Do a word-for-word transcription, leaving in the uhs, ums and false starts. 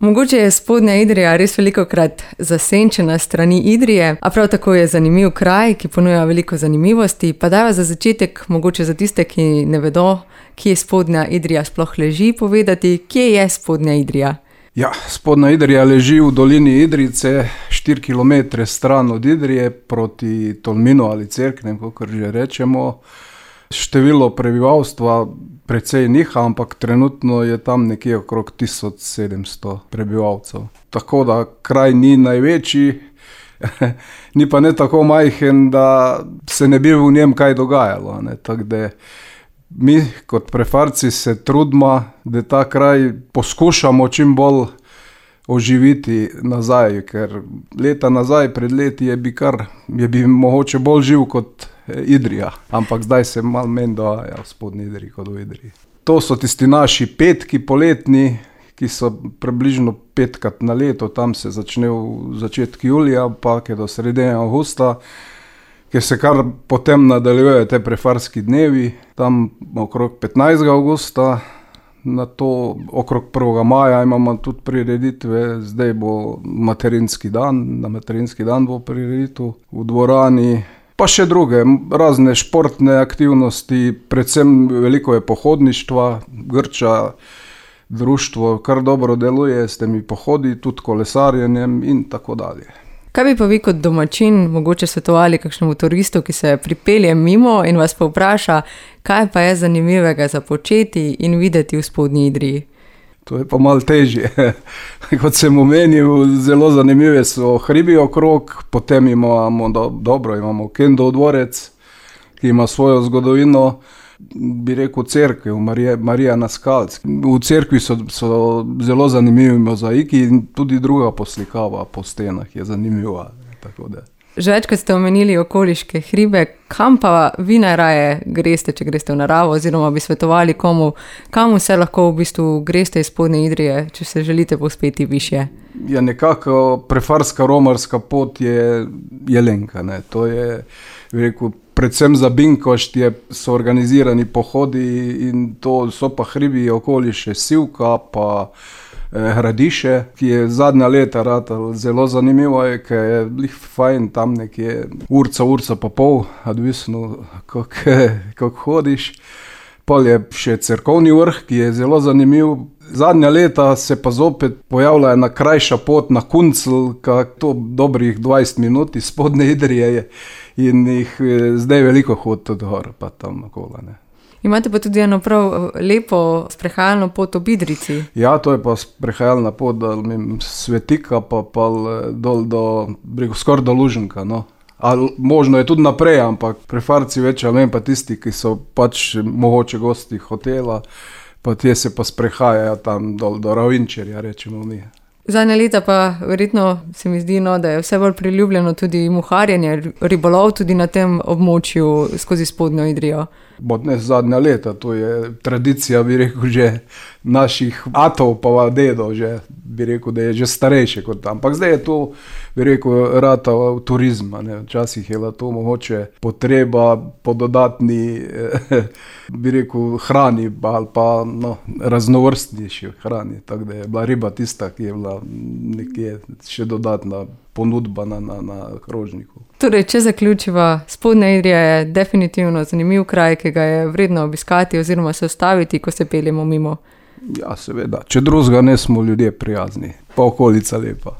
Mogoče je Spodnja Idrija res velikokrat zasenčena strani Idrije, a prav tako je zanimiv kraj, ki ponuja veliko zanimivosti. Pa dajva za začetek, mogoče za tiste, ki ne vedo, kje Spodnja Idrija sploh leži, povedati, kje je Spodnja Idrija. Ja, Spodnja Idrija leži v dolini Idrijce, štiri kilometre stran od Idrije, proti Tolminu ali Cerknem, kakor že rečemo. Število prebivalstva precej niha, ampak trenutno je tam nekje okrog tisoč sedemsto prebivalcev. Tako da kraj ni največji, ni pa ne tako majhen, da se ne bi v njem kaj dogajalo. Ne. Tako da mi kot prefarci se trudimo, da ta kraj poskušamo čim bolj oživiti nazaj, ker leta nazaj, pred leti je bi kar, je bi mogoče bolj živ kot Idrija, ampak zdaj se malo menj dogaja v Spodnji Idriji kot v Idriji. To so tisti naši petki poletni, ki so približno petkrat na leto, tam se začne v začetku julija, pa je do sredine avgusta, ker se kar potem nadaljujejo te prefarski dnevi, tam okrog petnajstega avgusta, na to okrog prvega maja imamo tudi prireditve, zdaj bo materinski dan, na materinski dan bo prireditev v dvorani, pa še druge, razne športne aktivnosti, predvsem veliko je pohodništva, Grča društvo kar dobro deluje s temi pohodi, tudi kolesarjenjem in tako dalje. Kaj bi pa vi kot domačin mogoče svetovali kakšnemu turistu, ki se pripelje mimo in vas povpraša, kaj pa je zanimivega za početi in videti v Spodnji Idriji? To je pa malo težje. Kot sem omenil, zelo zanimive so hribi okrog, potem imamo, do, dobro, imamo Kendov dvorec, ki ima svojo zgodovino, bi rekel cerkev, Marija, Marija na Skalc. V cerkvi so, so zelo zanimivi mozaiki in tudi druga poslikava po stenah je zanimiva. Tako da. Že večkrat ste omenili okoliške hribe, kam pa vi najraje greste, če greste v naravo, oziroma bi svetovali komu, kam vse lahko v bistvu greste iz Spodnje Idrije, če se želite povzpeti višje? Ja, nekako prefarska romarska pot je Jelenka, ne. To je, bi rekel, predvsem za Binkošt je, so organizirani pohodi in to so pa hribi okoli še Sivka, pa Hradiše, ki je zadnja leta ratal zelo zanimivo, je, ker je lih fajn tam nekje urca, urca pa pol, odvisno kako hodiš. Pol je še cerkovni vrh, ki je zelo zanimiv. Zadnja leta se pa zopet pojavlja ena krajša pot na Kuncl, kak to dobrih dvajset minut iz Spodnje Idrije je in jih zdaj veliko hod tudi gor, pa tam okolo, ne. Imate pa tudi eno prav lepo sprehajalno pot ob Idrijci. Ja, to je pa sprehajalna pot do Svetika, pa, pa dol do, skoraj do Luženka, no. Ali možno je tudi naprej, ampak prefarci več, ali pa tisti, ki so pač mogoče gosti hotela, pa te se pa sprehajajo tam dol do Ravinčerja, rečemo mi. Zadnja leta pa verjetno se mi zdi, no, da je vse bolj priljubljeno tudi muharjenje, ribolov tudi na tem območju skozi Spodnjo Idrijo. Bo ne zadnja leta, to je tradicija, bi rekel, že naših atov pa dedov, že, bi rekel, da je že starejše kot tam. Ampak zdaj je to, bi rekel, rata v turizma, ne. Včasih je to mogoče potreba po dodatni, bi rekel, hrani ali pa no, raznovrstnejši hrani. Tako da je bila riba tista, ki je bila nekje še dodatna ponudba na, na, na krožniku. Torej, če zaključiva, Spodnja Idrija je definitivno zanimiv kraj, ki ga je vredno obiskati oziroma se ustaviti, ko se peljemo mimo. Ja, seveda. Če drugega ne, smo ljudje prijazni, pa okolica lepa.